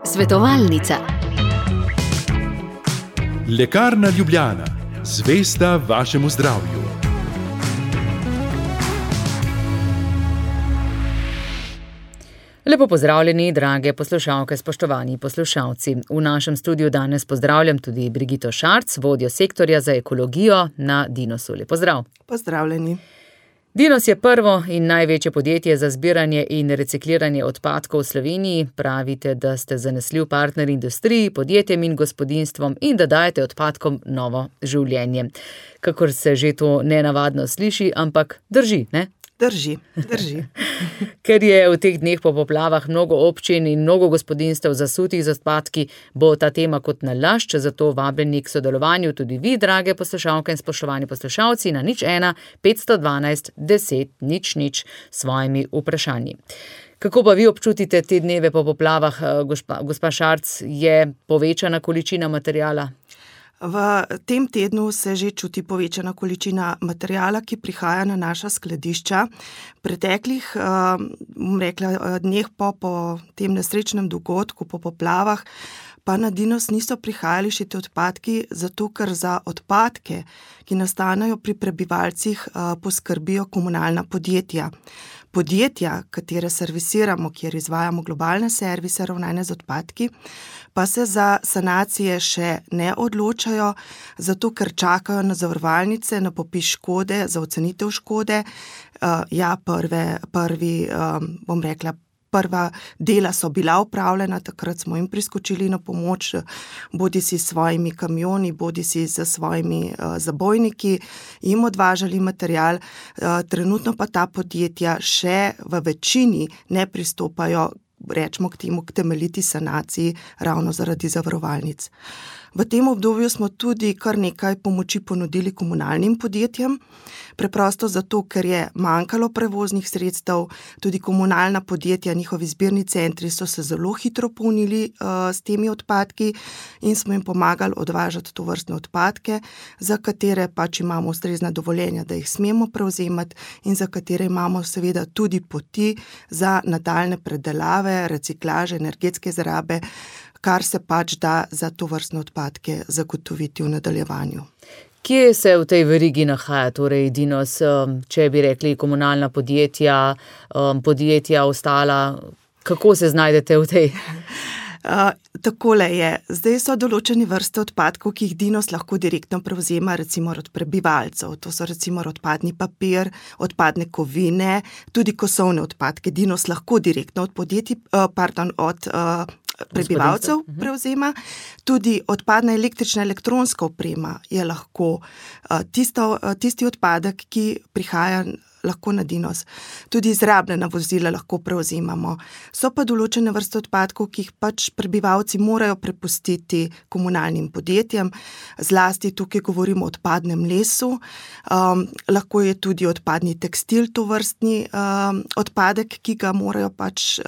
Svetovalnica. Lekarna Ljubljana, zvesta vašemu zdravju. Lepo pozdravljeni, drage poslušalke, spoštovani poslušalci. V našem studiu danes pozdravljam tudi Brigito Šarc, vodjo sektorja za ekologijo na Dinosu. Lep pozdrav. Pozdravljeni. Dinos je prvo in največje podjetje za zbiranje in recikliranje odpadkov v Sloveniji. Pravite, da ste zanesljiv partner industriji, podjetjem in gospodinjstvom in da dajete odpadkom novo življenje. Kakor se že to nenavadno sliši, ampak drži, ne? Drži. Ker je v teh dneh po poplavah mnogo občin in mnogo gospodinjstev zasutih z odpadki, bo ta tema kot nalašč, zato vabljeni k sodelovanju tudi vi, drage poslušalke in spoštovani poslušalci, na 01 512 10 00 s svojimi vprašanji. Kako pa vi občutite te dneve po poplavah, gospa Šarc, je povečana količina materiala? V tem tednu se že čuti povečana količina materiala, ki prihaja na naša skladišča. Preteklih, dneh po tem nesrečnem dogodku, po poplavah, pa na Dinos niso prihajali še te odpadki, zato ker za odpadke, ki nastanejo pri prebivalcih, poskrbijo komunalna podjetja. Podjetja, katere servisiramo, kjer izvajamo globalne servise ravnanja z odpadki, pa se za sanacije še ne odločajo, zato ker čakajo na zavarovalnice, na popis škode, za ocenitev škode. Prva dela so bila opravljena, takrat smo jim priskočili na pomoč, bodisi s svojimi kamioni, bodisi s svojimi zabojniki, jim odvažali material. Trenutno pa ta podjetja še v večini ne pristopajo, rečemo k temu, k temeljiti sanaciji, ravno zaradi zavarovalnic. V tem obdobju smo tudi kar nekaj pomoči ponudili komunalnim podjetjem, preprosto zato, ker je manjkalo prevoznih sredstev, tudi komunalna podjetja, njihovi zbirni centri so se zelo hitro polnili s temi odpadki in smo jim pomagali odvažati tovrstne odpadke, za katere pač imamo ustrezna dovoljenja, da jih smemo prevzemati in za katere imamo seveda tudi poti za nadaljne predelave, reciklaže, energetske izrabe, kar se pač da za tovrstne odpadke zagotoviti v nadaljevanju. Kje se v tej verigi nahaja, torej Dinos, če bi rekli komunalna podjetja, podjetja ostala, kako se znajdete v tej? Takole je. Zdaj so določene vrste odpadkov, ki jih Dinos lahko direktno prevzema, recimo od prebivalcev. To so recimo odpadni papir, odpadne kovine, tudi kosovne odpadke. Dinos lahko direktno od prebivalcev prevzema. Tudi odpadna električna elektronska oprema je lahko tisti odpadek, ki prihaja lahko na Dinos. Tudi izrabljena vozila lahko prevzemamo. So pa določene vrste odpadkov, ki jih pač prebivalci morajo prepustiti komunalnim podjetjem. Zlasti tukaj govorimo o odpadnem lesu. Lahko je tudi odpadni tekstil tovrstni odpadek, ki ga morajo pač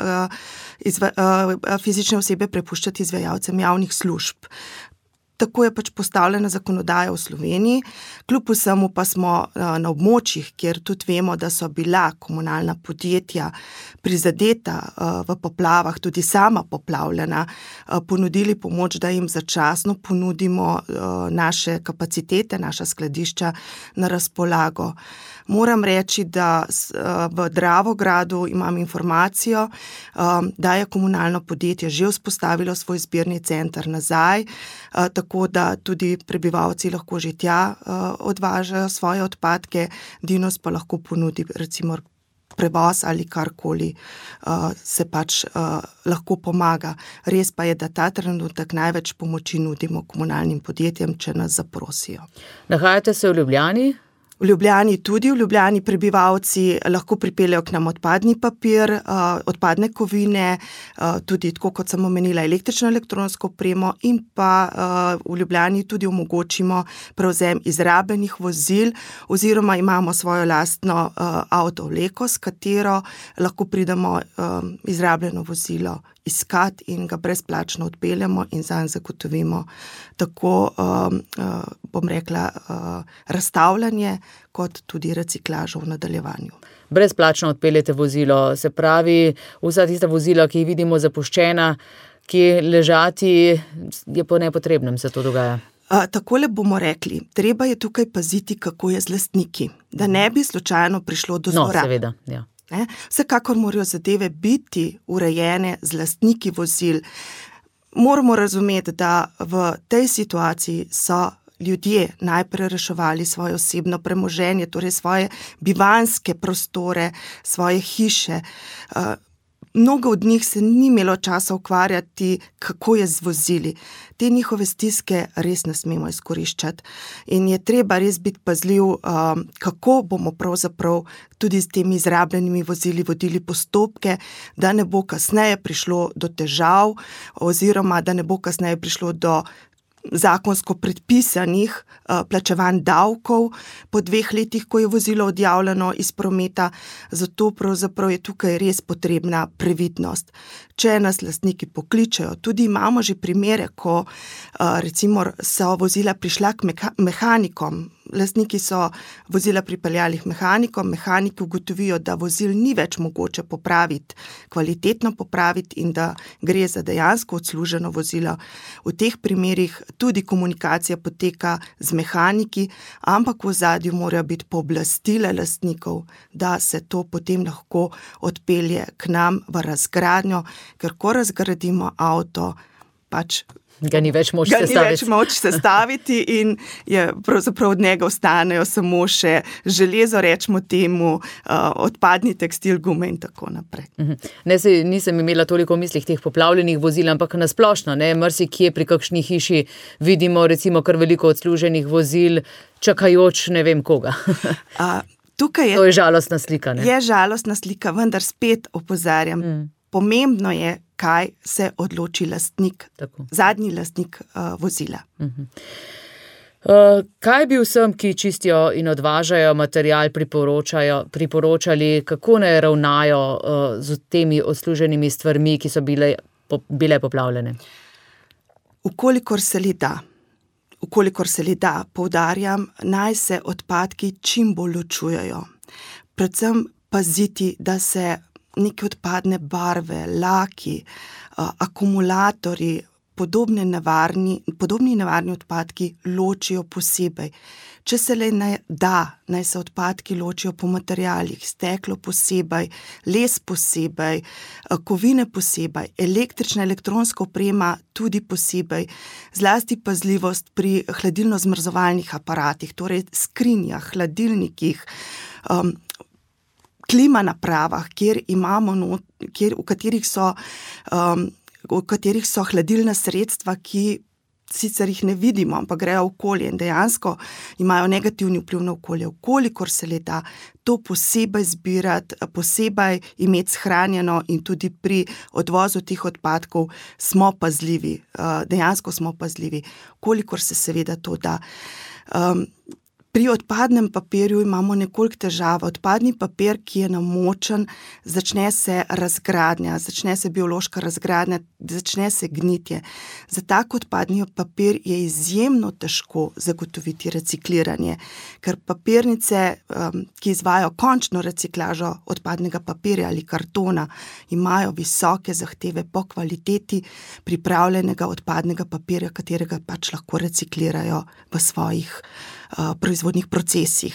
fizične osebe prepuščati izvajalcem javnih služb. Tako je pač postavljena zakonodaja v Sloveniji, kljub vsemu pa smo na območjih, kjer tudi vemo, da so bila komunalna podjetja prizadeta v poplavah, tudi sama poplavljena, ponudili pomoč, da jim začasno ponudimo naše kapacitete, naša skladišča na razpolago. Moram reči, da v Dravogradu imam informacijo, da je komunalno podjetje že vzpostavilo svoj zbirni center nazaj, tako da tudi prebivalci lahko že tja odvažajo svoje odpadke, Dinos pa lahko ponudi recimo prevoz ali karkoli se pač lahko pomaga. Res pa je, da ta trenutek največ pomoči nudimo komunalnim podjetjem, če nas zaprosijo. Nahajate se v Ljubljani? V Ljubljani tudi, v Ljubljani prebivalci lahko pripeljejo k nam odpadni papir, odpadne kovine, tudi tako kot sem omenila električno elektronsko opremo in pa v Ljubljani tudi omogočimo prevzem izrabljenih vozil oziroma imamo svojo lastno avtovleko, s katero lahko pridemo izrabljeno vozilo iskati in ga brezplačno odpeljemo in zanj zagotovimo tako bom rekla, razstavljanje, kot tudi reciklažo v nadaljevanju. Brezplačno odpeljete vozilo, se pravi, vsa tista vozila, ki jih vidimo zapuščena, ki ležati, je po nepotrebnem se to dogaja. Takole bomo rekli, treba je tukaj paziti, kako je z lastniki, da ne bi slučajno prišlo do zlorab. No, seveda, ja. Vsekakor morajo zadeve biti urejene z lastniki vozil. Moramo razumeti, da v tej situaciji so ljudje najprej reševali svoje osebno premoženje, torej svoje bivanjske prostore, svoje hiše. Mnogo od njih se ni imelo časa ukvarjati, kako je z vozili. Te njihove stiske res ne smemo izkoriščati in je treba res biti pazljiv, kako bomo pravzaprav tudi s temi izrabljenimi vozili vodili postopke, da ne bo kasneje prišlo do težav oziroma da ne bo kasneje prišlo do zakonsko predpisanih plačevanj davkov po 2 letih, ko je vozilo odjavljeno iz prometa, zato pravzaprav je tukaj res potrebna previdnost. Če nas lastniki pokličejo, tudi imamo že primere, ko recimo so vozila prišla k mehanikom, lastniki so vozila pripeljali k mehanikom, mehaniki ugotovijo, da vozil ni več mogoče popraviti, kvalitetno popraviti in da gre za dejansko odsluženo vozilo. V teh primerih tudi komunikacija poteka z mehaniki, ampak v ozadju morajo biti pooblastila lastnikov, da se to potem lahko odpelje k nam v razgradnjo, ker ko razgradimo avto, pač ga ni več moč sestaviti in je pravzaprav od njega ostanejo samo še železo, rečemo temu, odpadni tekstil, gume in tako naprej. Nisem imela toliko v mislih teh poplavljenih vozil, ampak nasplošno, marsikje pri kakšni hiši vidimo recimo kar veliko odsluženih vozil, čakajoč ne vem koga. To je žalostna slika, ne? Je žalostna slika, vendar spet opozarjam, pomembno je, kaj se odloči lastnik, zadnji lastnik vozila. Kaj bi vsem, ki čistijo in odvažajo material, priporočali, kako ne ravnajo z temi odsluženimi stvarmi, ki so bile poplavljene? Ukolikor se le da, poudarjam, naj se odpadki čim bolj ločujejo. Predvsem paziti, da se neke odpadne barve, laki, akumulatorji, podobni nevarni odpadki ločijo posebej. Če se le da, naj se odpadki ločijo po materialih, steklo posebej, les posebej, kovine posebej, električna, elektronska oprema tudi posebej, zlasti pazljivost pri hladilno-zmrzovalnih aparatih, torej skrinjah, hladilnikih, klima napravah, v katerih so hladilna sredstva, ki sicer jih ne vidimo, ampak grejo v okolje in dejansko imajo negativni vpliv na okolje. Kolikor se le da, to posebej zbirati, posebej imeti shranjeno in tudi pri odvozu teh odpadkov smo pazljivi, dejansko smo pazljivi, kolikor se seveda to da. Pri odpadnem papirju imamo nekoliko težavo. Odpadni papir, ki je namočen, začne se razgradnja, začne se biološka razgradnja, začne se gnitje. Za tak odpadni papir je izjemno težko zagotoviti recikliranje, ker papirnice, ki izvajajo končno reciklažo odpadnega papirja ali kartona, imajo visoke zahteve po kvaliteti pripravljenega odpadnega papirja, katerega pač lahko reciklirajo v svojih proizvodnih procesih.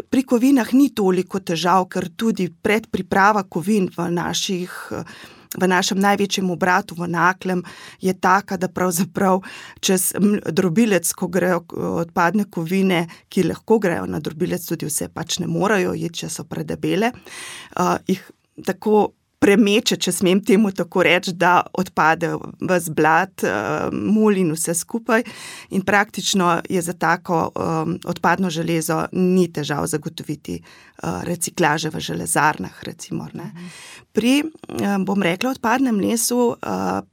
Pri kovinah ni toliko težav, ker tudi predpriprava kovin v našem največjem obratu v Naklem je taka, da pravzaprav čez drobilec, ko grejo odpadne kovine, ki lahko grejo na drobilec, tudi vse pač ne morajo iti, če so predebele, jih tako premeče, če smem temu tako reči, da odpade ves blat, mulj in vse skupaj in praktično je za tako odpadno železo ni težav zagotoviti reciklaže v železarnah, recimo. Ne. Pri, bom rekla, odpadnem lesu,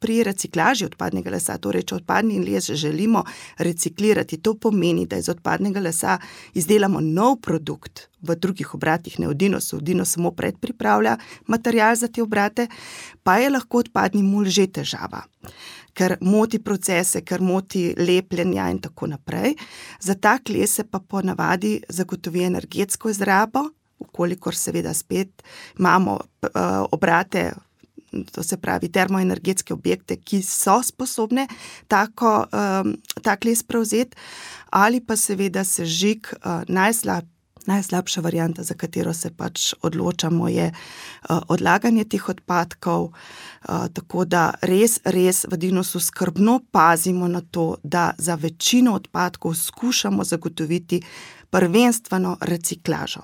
pri reciklaži odpadnega lesa, torej če odpadni les želimo reciklirati, to pomeni, da iz odpadnega lesa izdelamo nov produkt v drugih obratih, ne v Dinosu. Dinos samo predpripravlja material za te obrate, pa je lahko odpadni mulj že težava, ker moti procese, ker moti lepljenja in tako naprej. Za tak les se pa ponavadi zagotovi energetsko izrabo, ukolikor seveda spet imamo obrate, to se pravi termoenergetske objekte, ki so sposobne tak les prevzeti, ali pa seveda sežig, najslabša varianta, za katero se pač odločamo, je odlaganje teh odpadkov, tako da res v Dinosu skrbno pazimo na to, da za večino odpadkov skušamo zagotoviti prvenstveno reciklažo.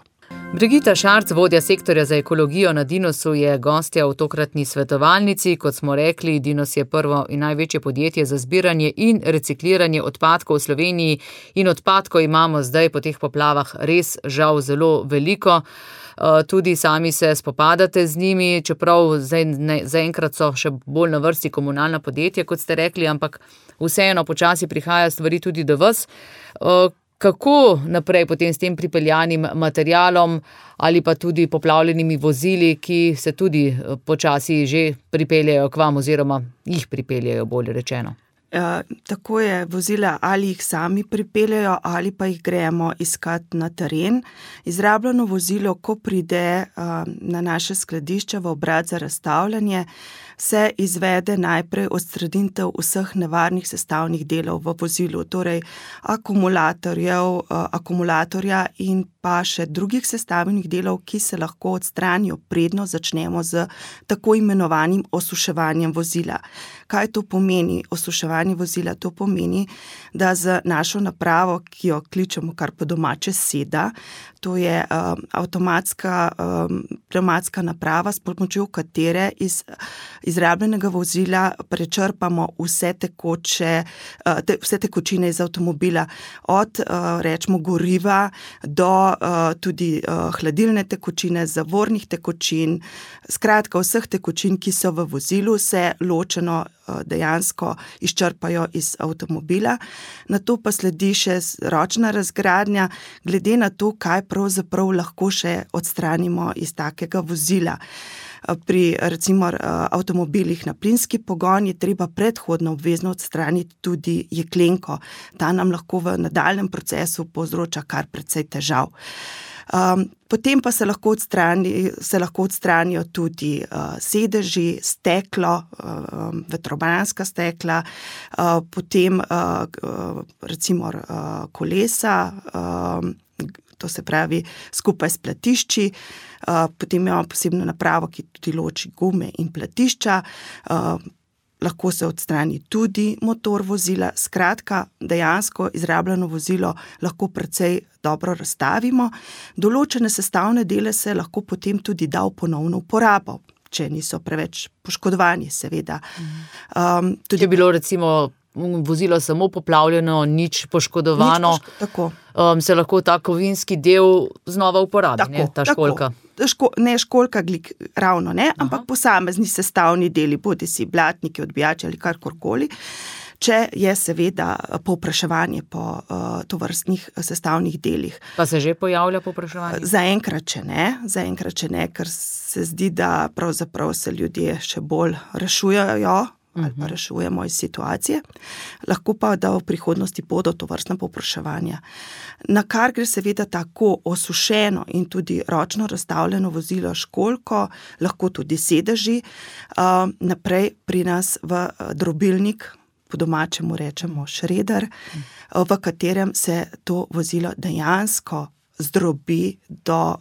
Brigita Šarc, vodja sektorja za ekologijo na Dinosu, je gostja v tokratni svetovalnici. Kot smo rekli, Dinos je prvo in največje podjetje za zbiranje in recikliranje odpadkov v Sloveniji in odpadkov imamo zdaj po teh poplavah res žal zelo veliko. Tudi sami se spopadate z njimi, čeprav zaenkrat so še bolj na vrsti komunalna podjetja, kot ste rekli, ampak vseeno počasi prihaja stvari tudi do vas. Kako naprej potem s tem pripeljanim materialom ali pa tudi poplavljenimi vozili, ki se tudi počasi že pripeljajo k vam oziroma jih pripeljajo, bolje rečeno? Tako je, vozila ali jih sami pripeljajo ali pa jih gremo iskati na teren. Izrabljeno vozilo, ko pride na naše skladišče v obrat za razstavljanje, se izvede najprej odstranitev vseh nevarnih sestavnih delov v vozilu, torej akumulatorja in pa še drugih sestavnih delov, ki se lahko odstranijo, predno začnemo z tako imenovanim osuševanjem vozila. Kaj to pomeni, osuševanje vozila? To pomeni, da z našo napravo, ki jo kličemo kar po domače seda, to je avtomatska naprava, s pomočjo katere iz izrabljenega vozila prečrpamo vse tekočine iz avtomobila, od rečemo goriva do tudi hladilne tekočine, zavornih tekočin, skratka vseh tekočin, ki so v vozilu, se ločeno dejansko izčrpajo iz avtomobila. Nato pa sledi še ročna razgradnja, glede na to, kaj pravzaprav lahko še odstranimo iz takega vozila. Pri recimo avtomobilih na plinski pogon je treba predhodno obvezno odstraniti tudi jeklenko. Ta nam lahko v nadaljnjem procesu povzroča kar precej težav. Potem pa se lahko odstranijo tudi sedeži, steklo, vetrobranska stekla, potem recimo kolesa, to se pravi skupaj s platišči, potem imamo posebno napravo, ki tudi loči gume in platišča, lahko se odstrani tudi motor vozila, skratka, dejansko izrabljeno vozilo lahko precej dobro razstavimo. Določene sestavne dele se lahko potem tudi da v ponovno uporabo, če niso preveč poškodovani, seveda. Če je bilo recimo vozilo samo poplavljeno, nič poškodovano, se lahko ta kovinski del znova uporabi, ta školjka. Ne školjka ravno, ne, ampak posamezni sestavni deli, bodi si blatniki, odbijači ali karkorkoli, če je seveda povpraševanje po tovrstnih sestavnih delih. Pa se že pojavlja povpraševanje? Zaenkrat še ne, ker se zdi, da pravzaprav se ljudje še bolj rešujejo, ali pa rešujemo iz situacije, lahko pa, da v prihodnosti bodo tovrstna povpraševanja. Na kar gre seveda tako osušeno in tudi ročno razstavljeno vozilo školjko, lahko tudi sedeži, naprej pri nas v drobilnik, po domačemu rečemo šreder, v katerem se to vozilo dejansko zdrobi do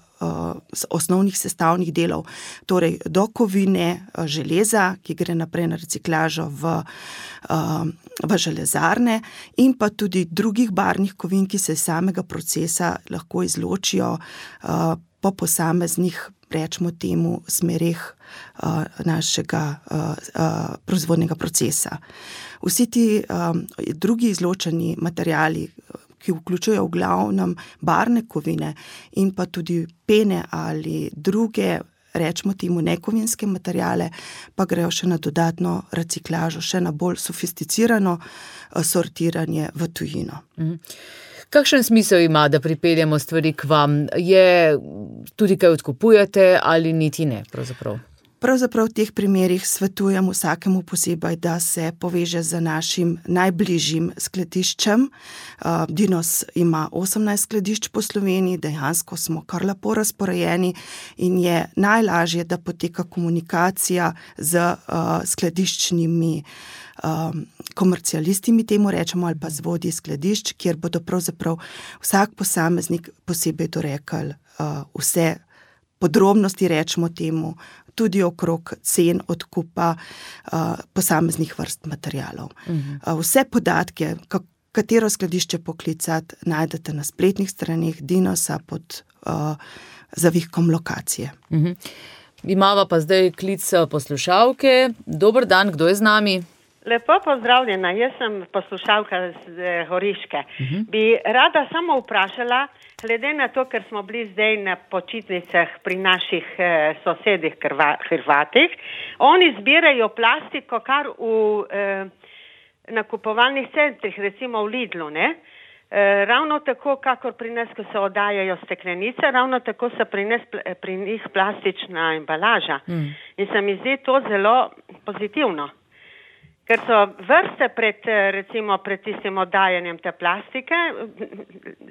osnovnih sestavnih delov, torej do kovine, železa, ki gre naprej na reciklažo v železarne, in pa tudi drugih barvnih kovin, ki se iz samega procesa lahko izločijo po posameznih, rečemo temu, smereh našega proizvodnega procesa. Vsi ti drugi izločeni materiali, ki vključujejo v glavnem barvne kovine in pa tudi pene ali druge rečemo temu nekovinske materijale, pa grejo še na dodatno reciklažo, še na bolj sofisticirano sortiranje v tujino. Kakšen smisel ima, da pripeljemo stvari k vam? Je tudi kaj odkupujete ali niti ne pravzaprav? Pravzaprav v teh primerih svetujem vsakemu posebej, da se poveže z našim najbližjim skladiščem. Dinos ima 18 skladišč po Sloveniji, dejansko smo kar lepo razporejeni in je najlažje, da poteka komunikacija z skladiščnimi komercialisti, mi temu rečemo, ali pa z vodji skladišč, kjer bodo pravzaprav vsak posameznik posebej dorekal vse podrobnosti, rečemo temu, tudi okrog cen odkupa posameznih vrst materialov. Vse podatke, katero skladišče poklicati, najdete na spletnih straneh Dinosa pod zavihkom lokacije. Imava pa zdaj klic poslušalke. Dober dan, kdo je z nami? Lepo pozdravljena, jaz sem poslušalka z Horiške. Bi rada samo vprašala, glede na to, ker smo bili zdaj na počitnicah pri naših sosedih Hrvatih, oni zbirajo plastiko kar v nakupovalnih centrih, recimo v Lidlu, ne? Ravno tako, kakor pri nas, ko se oddajajo steklenice, ravno tako se pri njih plastična embalaža. In se mi zdi to zelo pozitivno. Ker so vrste pred tistim oddajanjem te plastike,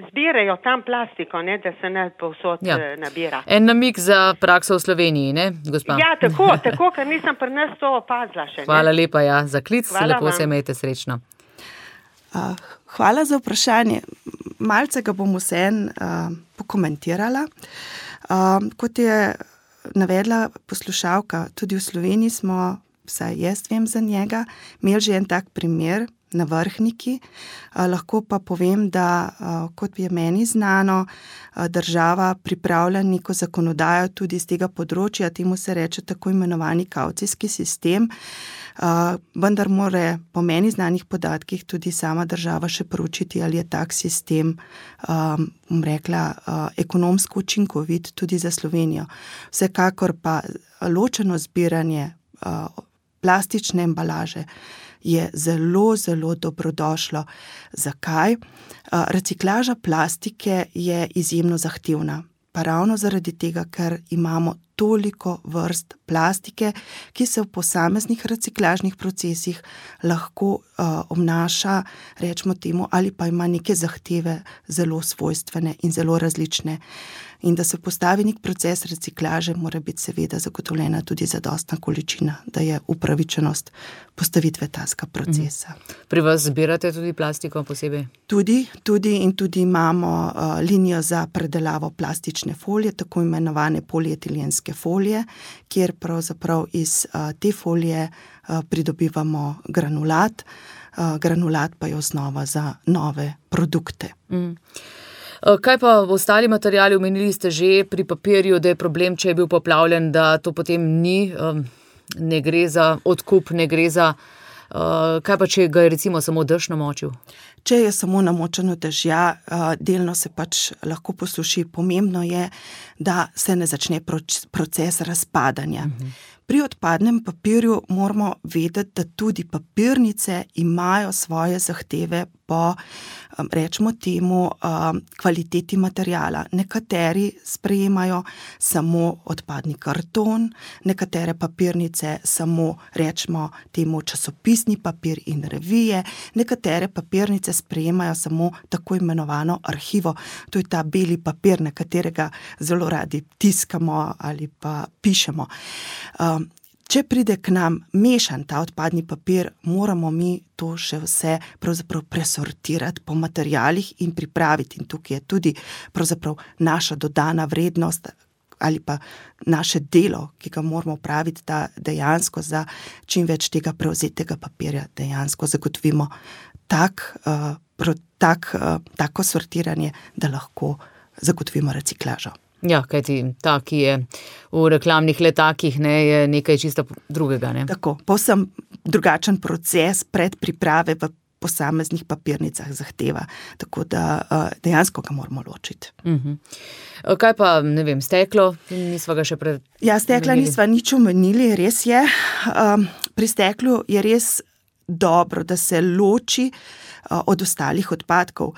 zbirajo tam plastiko, ne, da se ne povsod nabira. En namig za prakso v Sloveniji, ne, gospa? Ja, tako, ker nisem pri nas to opazila še. Ne? Hvala lepa, za klic, Hvala lepo vam. se imejte srečno. Hvala za vprašanje. Malce ga bom vseeno pokomentirala. Kot je navedla poslušalka, tudi v Sloveniji smo, vsaj jaz vem za njega, imeli že en tak primer na Vrhniki. Lahko pa povem, da kot je meni znano, država pripravlja neko zakonodajo tudi z tega področja, temu se reče tako imenovani kavcijski sistem, vendar mora po meni znanih podatkih tudi sama država še proučiti, ali je tak sistem, bom rekla, ekonomsko učinkovit tudi za Slovenijo. Vsekakor pa ločeno zbiranje plastične embalaže je zelo, zelo dobrodošlo. Zakaj? Reciklaža plastike je izjemno zahtevna, pa ravno zaradi tega, ker imamo toliko vrst plastike, ki se v posameznih reciklažnih procesih lahko obnaša, rečemo temu, ali pa ima neke zahteve zelo svojstvene in zelo različne. In da se postavi nek proces reciklaže, mora biti seveda zagotovljena tudi zadostna količina, da je upravičenost postavitve takega procesa. Pri vas zbirate tudi plastiko posebej? Tudi imamo linijo za predelavo plastične folije, tako imenovane polietilenske folije, kjer pravzaprav iz te folije pridobivamo granulat. Granulat pa je osnova za nove produkte. Kaj pa ostali materiali? Omenili ste že pri papirju, da je problem, če je bil poplavljen, da to potem ni, ne gre za odkup, ne gre za... Kaj pa, če ga je recimo samo dež namočil? Če je samo namočeno dežja, delno se pač lahko posuši. Pomembno je, da se ne začne proces razpadanja. Pri odpadnem papirju moramo vedeti, da tudi papirnice imajo svoje zahteve po, rečemo temu, kvaliteti materijala. Nekateri sprejemajo samo odpadni karton, nekatere papirnice samo, rečemo temu, časopisni papir in revije, nekatere papirnice sprejemajo samo tako imenovano arhivo. To je ta beli papir, na katerega zelo radi tiskamo ali pa pišemo. Če pride k nam mešan ta odpadni papir, moramo mi to še vse pravzaprav presortirati po materialih in pripraviti. In tukaj je tudi pravzaprav naša dodana vrednost ali pa naše delo, ki ga moramo opraviti, da dejansko za čim več tega prevzetega papirja dejansko zagotovimo tako sortiranje, da lahko zagotovimo reciklažo. Ja, kajti ta, ki je v reklamnih letakih, ne, je nekaj čisto drugega. Ne? Tako, povsem drugačen proces predpriprave v posameznih papirnicah zahteva. Tako da dejansko ga moramo ločiti. Kaj pa, ne vem, steklo? Nisva ga še Ja, stekla nisva nič omenili, res je. Pri steklu je res dobro, da se loči od ostalih odpadkov.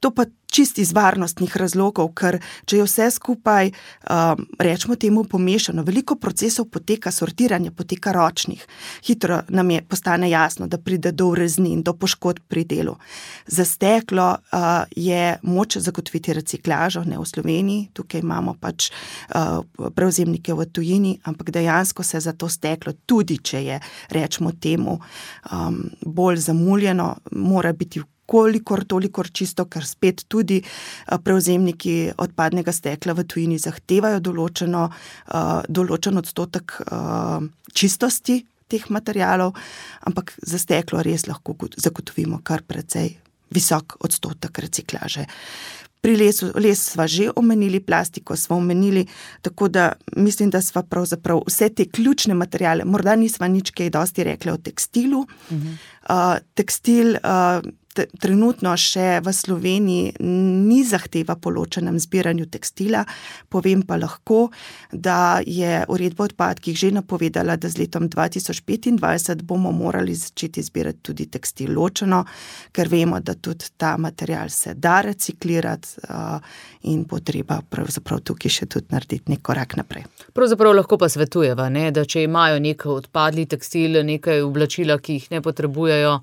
To pa čisto iz varnostnih razlogov, ker če je vse skupaj, rečemo temu pomešano, veliko procesov poteka, sortiranje poteka ročnih. Hitro nam postane jasno, da pride do ureznin, do poškodb pri delu. Za steklo je moč zagotoviti reciklažo, ne v Sloveniji, tukaj imamo pač prevzemnike v tujini, ampak dejansko se za to steklo, tudi če je, rečemo temu, bolj zamuljeno, mora biti kolikor toliko čisto, ker spet tudi prevzemniki odpadnega stekla v tujini zahtevajo določen odstotek čistosti teh materialov, ampak za steklo res lahko zagotovimo kar precej visok odstotek reciklaže. Pri les sva že omenili, plastiko sva omenili, tako da mislim, da sva pravzaprav vse te ključne materiale, morda nisva nič kaj dosti rekli o tekstilu. Tekstil trenutno še v Sloveniji ni zahteva po ločenem zbiranju tekstila, povem pa lahko, da je uredba o odpadkih že napovedala, da z letom 2025 bomo morali začeti zbirati tudi tekstil ločeno, ker vemo, da tudi ta material se da reciklirati in bo treba pravzaprav tukaj še tudi narediti nek korak naprej. Pravzaprav lahko pa svetujeva, ne, da če imajo nek odpadli tekstil, nekaj oblačila, ki jih ne potrebujejo,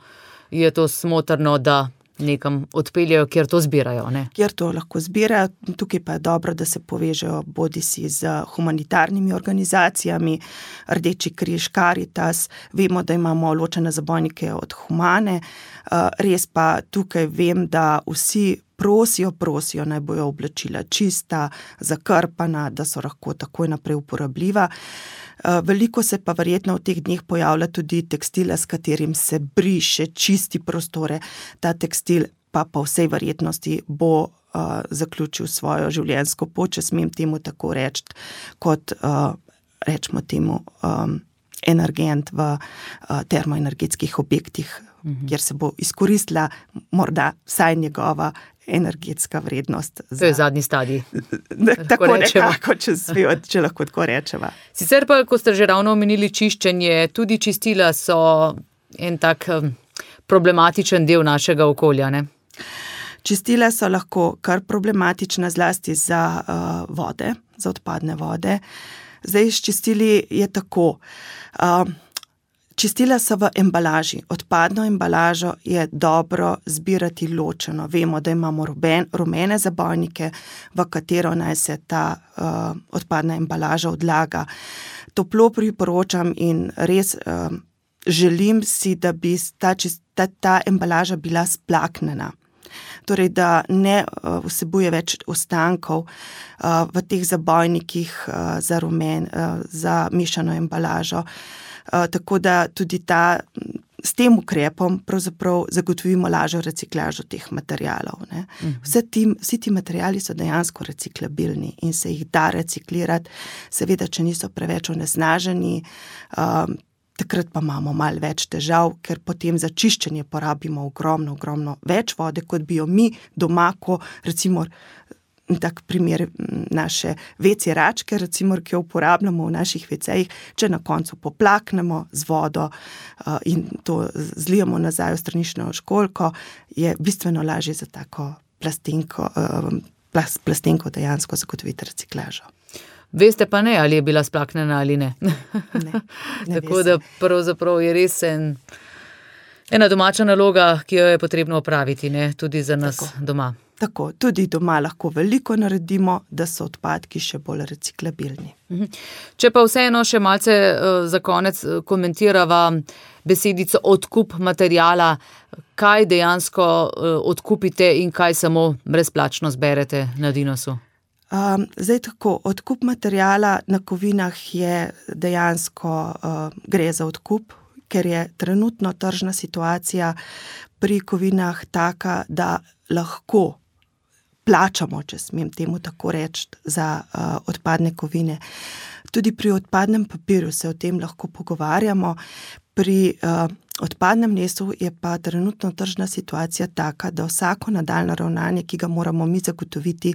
je to smotrno, da nekam odpeljajo, kjer to zbirajo, ne? Kjer to lahko zbirajo, tukaj pa je dobro, da se povežejo bodisi z humanitarnimi organizacijami, Rdeči križ, Karitas, vemo, da imamo ločene zabojnike od Humane, res pa tukaj vem, da vsi prosijo, naj bojo oblačila čista, zakrpana, da so lahko takoj naprej uporabljiva. Veliko se pa verjetno v teh dneh pojavlja tudi tekstila, s katerim se briše, čisti prostore. Ta tekstil pa po vsej verjetnosti bo zaključil svojo življenjsko pot, če smem temu tako reči, kot rečemo temu energent v termoenergetskih objektih, kjer se bo izkoristila morda vsaj njegova energetska vrednost. To je zadnji stadij. Tako nekako, če lahko tako rečeva. Sicer pa, ko ste že ravno omenili čiščenje, tudi čistila so en tak problematičen del našega okolja, ne? Čistila so lahko kar problematična, zlasti za vode, za odpadne vode. Zdaj s čistili je tako. Čistila so v embalaži. Odpadno embalažo je dobro zbirati ločeno. Vemo, da imamo rumene zabojnike, v katero naj se ta odpadna embalaža odlaga. Toplo priporočam in res želim si, da bi ta embalaža bila splaknjena. Torej, da ne vsebuje več ostankov v teh zabojnikih za mešano embalažo. Tako da tudi s tem ukrepom pravzaprav zagotovimo lažjo reciklažo teh materialov, ne. Vsi ti materiali so dejansko reciklabilni in se jih da reciklirati, seveda, če niso preveč onesnaženi, takrat pa imamo malo več težav, ker potem za čiščenje porabimo ogromno več vode, kot bi jo mi doma, ko recimo tak primer naše WC račke, recimo, ki jo uporabljamo v naših WC-jih, če na koncu poplaknemo z vodo in to zlijemo nazaj v stranično školjko, je bistveno lažje za tako plastenko dejansko zagotoviti reciklažo. Veste pa ne, ali je bila splaknjena ali ne. Ne tako da pravzaprav je res ena domača naloga, ki jo je potrebno opraviti, ne, tudi za nas doma. Tako, tudi doma lahko veliko naredimo, da so odpadki še bolj reciklabilni. Če pa vseeno še malce za konec komentirava besedico odkup materiala, kaj dejansko odkupite in kaj samo brezplačno zberete na Dinosu? Zdaj tako, odkup materiala na kovinah je dejansko gre za odkup, ker je trenutno tržna situacija pri kovinah taka, da lahko plačamo, če smem temu tako reči, za odpadne kovine. Tudi pri odpadnem papirju se o tem lahko pogovarjamo. Pri odpadnem lesu je pa trenutno tržna situacija taka, da vsako nadaljnje ravnanje, ki ga moramo mi zagotoviti,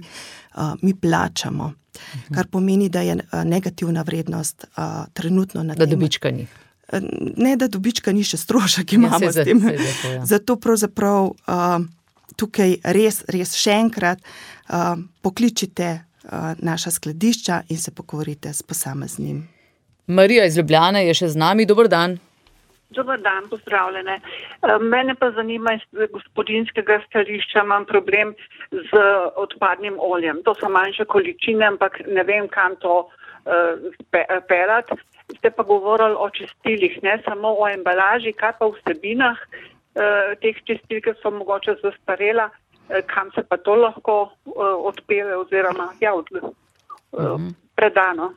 mi plačamo. Kar pomeni, da je negativna vrednost trenutno na tem. Da dobička ni. Ne, da dobička ni, še strošek imamo s tem. Zato pravzaprav tukaj res še enkrat pokličite naša skladišča in se pogovorite s posameznim. Marija iz Ljubljane je še z nami. Dober dan. Dobar dan, pozdravljene. Mene pa zanima iz gospodinjskega stališča, imam problem z odpadnim oljem. To so manjše količine, ampak ne vem, kam to pelati. Ste pa govorili o čistilih, ne samo o embalaži, kaj pa v vsebinah teh čistil, ki so mogoče zastarela, kam se pa to lahko odpele oziroma predano.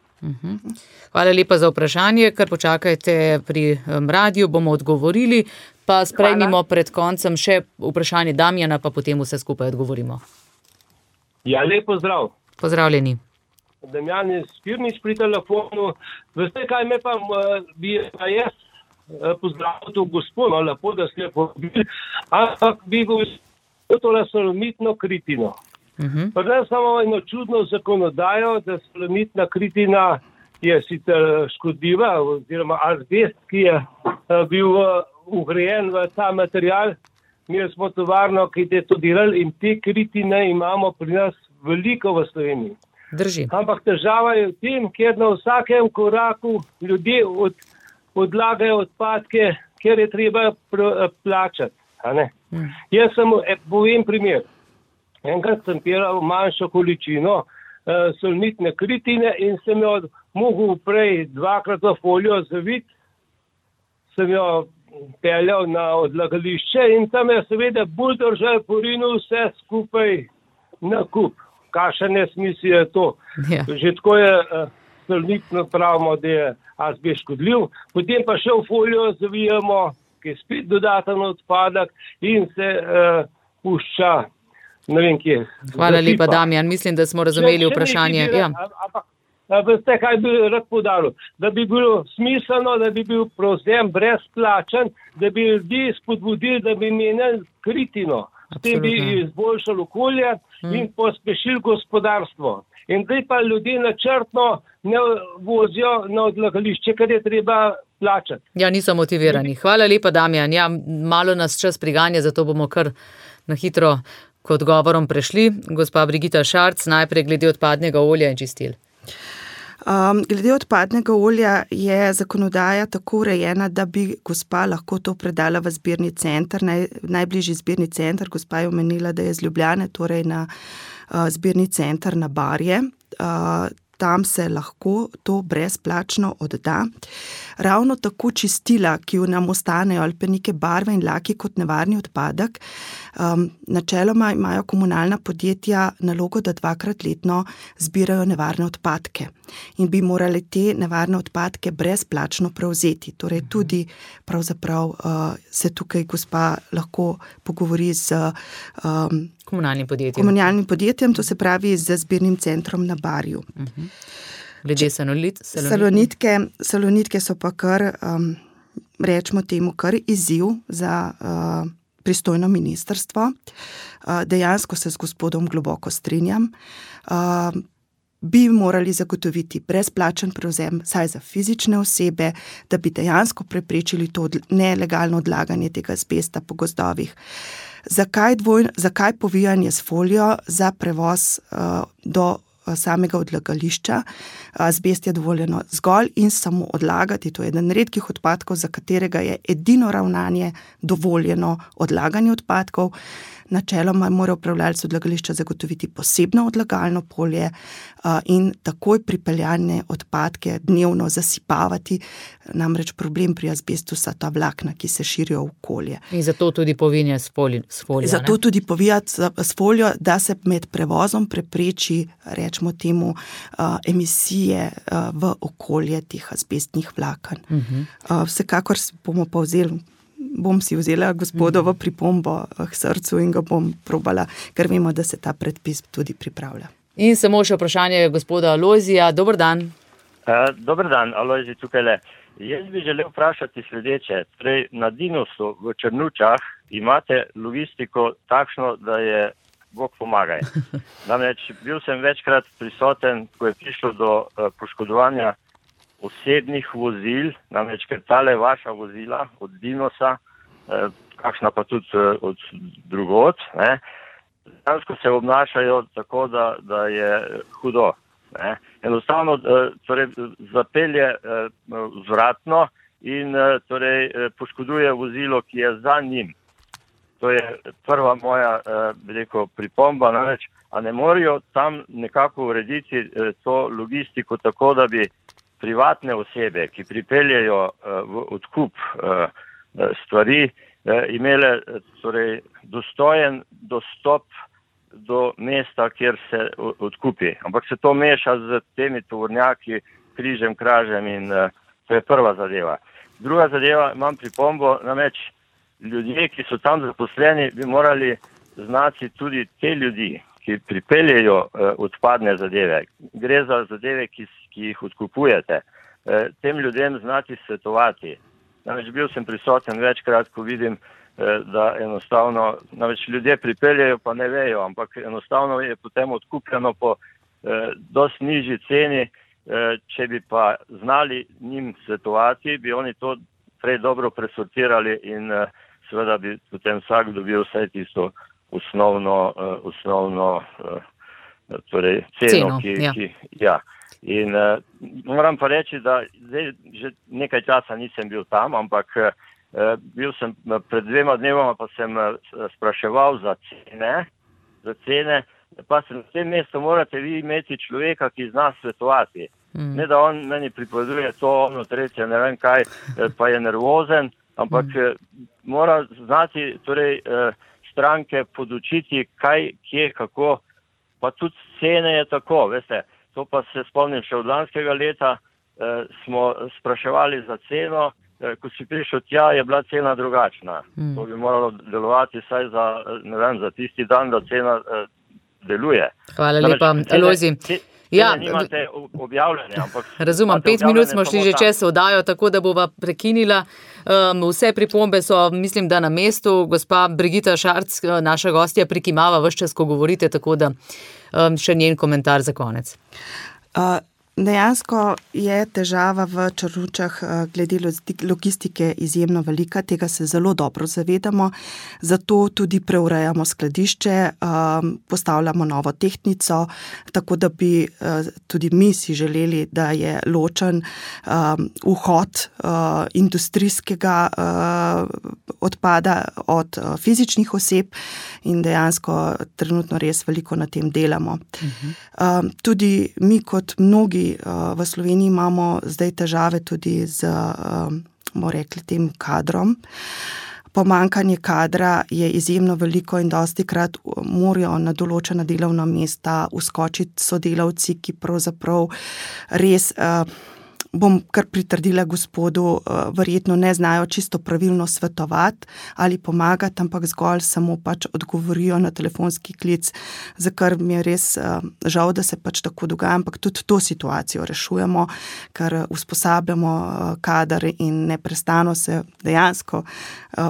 Hvala lepa za vprašanje, kar počakajte pri radiju, bomo odgovorili, pa sprejmimo pred koncem še vprašanje Damjana, pa potem vse skupaj odgovorimo. Ja, lep pozdrav. Pozdravljeni. Damjan je Spirnič pri telefonu. Veste, kaj me pa bi jaz pozdravil to gospodo, lepo, da ste povabili, ampak bi govoril tole solomitno kritino. Pa ne samo eno čudno zakonodajo, da solomitna kritina je sicer škodljiva, oziroma azbest, ki je bil vgrajen v ta material. Mi smo tovarno, ki je to delali in te kritine imamo pri nas veliko v Sloveniji. Drži. Ampak težava je v tem, ker na vsakem koraku ljudje odlagajo odpadke, ker je treba plačati. Jaz samo povem primer. Enkrat sem pelal manjšo količino solmitne kritine in sem jo mogel prej 2-krat v folijo zaviti, sem jo peljal na odlagališče in tam je seveda buldožer porinil vse skupaj na kup. Kakšen nesmisel je to. Ja. Že tako je solmitno pravimo, da je azbest škodljiv, potem pa še v folijo zavijamo, ki je spet dodaten odpadek in se pušča. Ne vem, kje. Hvala lepa, Damjan. Mislim, da smo razumeli vprašanje. Veste, kaj bi rad podaril? Da bi bilo smiselno, da bi bil prevzem brezplačen, da bi ljudi spodbudili, da bi menjali kritino. S tem bi izboljšali okolje in pospešili gospodarstvo. In zdaj pa ljudje načrtno ne vozijo na odlagališče, ker je treba plačati. Ja, niso motivirani. Hvala lepa, Damjan. Ja, malo nas čas priganja, zato bomo kar na hitro k odgovorom prešli. Gospa Brigita Šarc, najprej glede odpadnega olja in čistil. Glede odpadnega olja je zakonodaja tako urejena, da bi gospa lahko to predala v zbirni center, najbližji zbirni center. Gospa je omenila, da je iz Ljubljane, torej na zbirni center na Barje. Tam se lahko to brezplačno odda. Ravno tako čistila, ki nam ostanejo, ali pa neke barve in laki kot nevarni odpadek, načeloma imajo komunalna podjetja nalogo, da 2-krat letno zbirajo nevarne odpadke in bi morali te nevarne odpadke brezplačno prevzeti. Torej tudi pravzaprav se tukaj gospa lahko pogovori z komunalnim podjetjem, to se pravi z zbirnim centrom na Barju. Glede salonitke so pa kar, rečemo temu, kar izziv za pristojno ministrstvo. Dejansko se z gospodom globoko strinjam. Bi morali zagotoviti brezplačen prevzem, saj za fizične osebe, da bi dejansko preprečili to nelegalno odlaganje tega azbesta po gozdovih. Zakaj povijanje s folijo za prevoz do samega odlagališča? Azbest je dovoljeno zgolj in samo odlagati. To je eden redkih odpadkov, za katerega je edino ravnanje dovoljeno odlaganje odpadkov. Načeloma mora upravljalec odlagališča zagotoviti posebno odlagalno polje in takoj pripeljane odpadke dnevno zasipavati. Namreč problem pri azbestu so ta vlakna, ki se širijo v okolje. In zato tudi povinja s folijo. Zato tudi povijati s folijo, da se med prevozom prepreči, rečemo temu, emisije v okolje teh azbestnih vlaken. Vsekakor bomo pa bom si vzela gospodovo pripombo k srcu in ga bom probala, ker vemo, da se ta predpis tudi pripravlja. In samo še vprašanje gospoda Alojzija. Dober dan. Dober dan, Alojzi tukajle. Jaz bi želel vprašati sledeče. Torej, na Dinosu v Črnučah imate logistiko takšno, da je Bog pomagaj. Namreč bil sem večkrat prisoten, ko je prišlo do poškodovanja osebnih vozil, namreč ker tale vaša vozila od Dinosa, kakšna pa tudi od drugod, dejansko se obnašajo tako, da je hudo. Enostavno torej, zapelje vzvratno in torej, poškoduje vozilo, ki je za njim. To je prva moja pripomba, namreč, a ne morajo tam nekako urediti to logistiko tako, da bi privatne osebe, ki pripeljejo v odkup stvari, imele torej, dostojen dostop do mesta, kjer se odkupi. Ampak se to meša z temi tovornjaki, križem, kražem in to je prva zadeva. Druga zadeva, imam pripombo, namreč ljudje, ki so tam zaposleni, bi morali znati tudi te ljudi, ki pripeljejo odpadne zadeve. Gre za zadeve, ki jih odkupujete. Tem ljudem znati svetovati. Namreč bil sem prisoten večkrat, ko vidim, da enostavno, namreč ljudje pripeljejo, pa ne vejo, ampak enostavno je potem odkupljeno po dosti nižji ceni. Če bi pa znali njim svetovati, bi oni to prej dobro presortirali in seveda bi potem vsak dobil vse tisto osnovno torej ceno, ja. In moram pa reči, da zdaj že nekaj časa nisem bil tam, ampak bil sem pred 2 dnevoma, pa sem spraševal za cene, pa se na tem mestu morate vi imeti človeka, ki zna svetovati. Ne da on meni pripoveduje to, ono, tretje, ne vem kaj, pa je nervozen, ampak mora znati torej, stranke podučiti, kaj, kje, kako, pa tudi cene je tako, veste. To pa se spomnim še od lanskega leta, smo spraševali za ceno, ko si prišel tja, je bila cena drugačna. To bi moralo delovati vsaj za tisti dan, da cena deluje. Hvala lepa, Alojzi. Ja, nimate objavljene, ampak... Razumem, 5 minut smo šli že čez oddajo, tako da bova prekinila. Vse pripombe so, mislim, da na mestu. Gospa Brigita Šarc, naša gostja, prikimava ves čas, ko govorite, tako da še njen komentar za konec. Dejansko je težava v Črnučah glede logistike izjemno velika, tega se zelo dobro zavedamo, zato tudi preurejamo skladišče, postavljamo novo tehtnico, tako da bi tudi mi si želeli, da je ločen vhod industrijskega odpada od fizičnih oseb in dejansko trenutno res veliko na tem delamo. Tudi mi kot mnogi v Sloveniji imamo zdaj težave tudi z, bomo rekli, tem kadrom. Pomanjkanje kadra je izjemno veliko in dostikrat morajo na določena delovna mesta vskočiti sodelavci, ki pravzaprav res, bom kar pritrdila gospodu, verjetno ne znajo čisto pravilno svetovati ali pomagati, ampak zgolj samo pač odgovorijo na telefonski klic, za kar mi je res žal, da se pač tako dogaja, ampak tudi to situacijo rešujemo, ker usposabljamo kader in neprestano se dejansko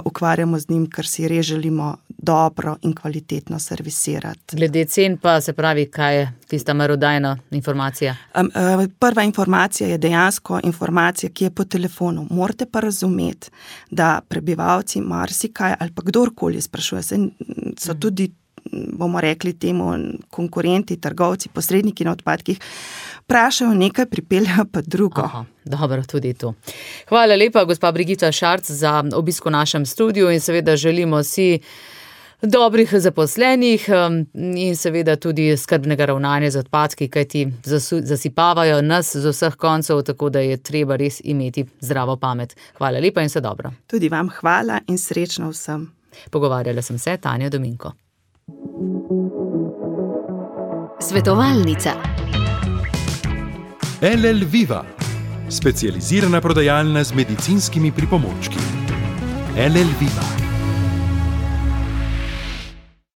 ukvarjamo z njim, ker si res želimo dobro in kvalitetno servisirati. Glede cen pa se pravi, kaj je tista merodajna informacija? Prva informacija je dejansko informacija, ki je po telefonu. Morate pa razumeti, da prebivalci marsikaj ali pa kdorkoli sprašuje, so tudi, bomo rekli temu, konkurenti, trgovci, posredniki na odpadkih, vprašajo nekaj, pripeljajo pa drugo. Aha, dobro, tudi to. Hvala lepa, gospa Brigita Šarc, za obisk v našem studiu in seveda želimo si dobrih zaposlenih in seveda tudi skrbnega ravnanja z odpadki, kajti zasipavajo nas z vseh koncev, tako da je treba res imeti zdravo pamet. Hvala lepa in vse dobro. Tudi vam hvala in srečno vsem. Pogovarjala sem se, Tanja Dominko. Svetovalnica. LL Viva, specializirana prodajalna z medicinskimi pripomočki. LL Viva.